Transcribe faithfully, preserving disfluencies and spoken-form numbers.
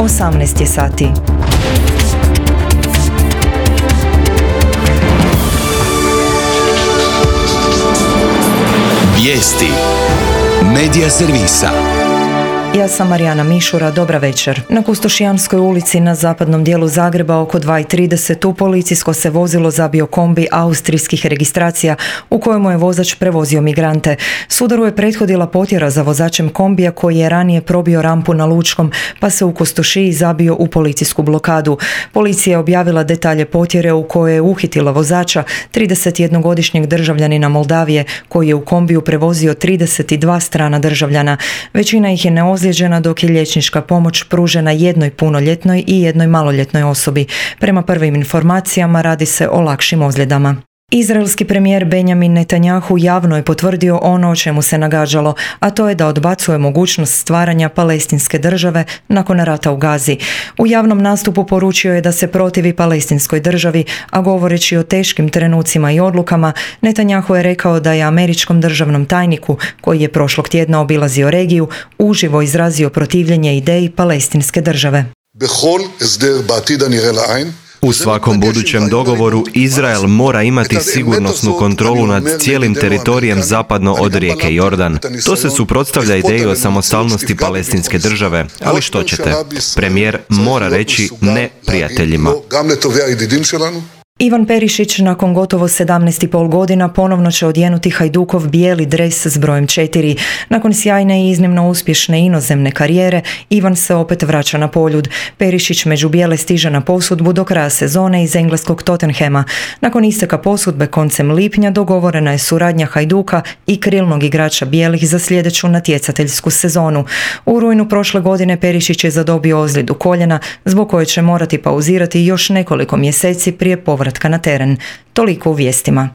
osamnaest je sati. Vijesti Medija servisa. Ja sam Marijana Mišura, dobra večer. Na Kustošijanskoj ulici na zapadnom dijelu Zagreba oko dva i trideset u policijsko se vozilo zabio kombi austrijskih registracija u kojemu je vozač prevozio migrante. Sudaru je prethodila potjera za vozačem kombija koji je ranije probio rampu na Lučkom pa se u Kustošiji zabio u policijsku blokadu. Policija je objavila detalje potjere u kojoj je uhitila vozača, tridesetjednogodišnjeg državljanina Moldavije koji je u kombiju prevozio trideset dva strana državljana. Većina ih je neozlijeđena dok je liječnička pomoć pružena jednoj punoljetnoj i jednoj maloljetnoj osobi. Prema prvim informacijama radi se o lakšim ozljedama. Izraelski premijer Benjamin Netanjahu javno je potvrdio ono o čemu se nagađalo, a to je da odbacuje mogućnost stvaranja palestinske države nakon rata u Gazi. U javnom nastupu poručio je da se protivi palestinskoj državi, a govoreći o teškim trenucima i odlukama, Netanjahu je rekao da je američkom državnom tajniku, koji je prošlog tjedna obilazio regiju, uživo izrazio protivljenje ideji palestinske države. U svakom budućem dogovoru Izrael mora imati sigurnosnu kontrolu nad cijelim teritorijem zapadno od rijeke Jordan. To se suprotstavlja ideji o samostalnosti palestinske države, ali što ćete? Premijer mora reći ne prijateljima. Ivan Perišić nakon gotovo sedamnaest i pol godina ponovno će odjenuti Hajdukov bijeli dres s brojem četiri. Nakon sjajne i iznimno uspješne inozemne karijere, Ivan se opet vraća na poljud. Perišić među bijele stiže na posudbu do kraja sezone iz engleskog Tottenhama. Nakon isteka posudbe koncem lipnja dogovorena je suradnja Hajduka i krilnog igrača bijelih za sljedeću natjecateljsku sezonu. U rujnu prošle godine Perišić je zadobio ozljedu koljena, zbog koje će morati pauzirati još nekoliko mjeseci prije povratka na teren. Toliko u vijestima.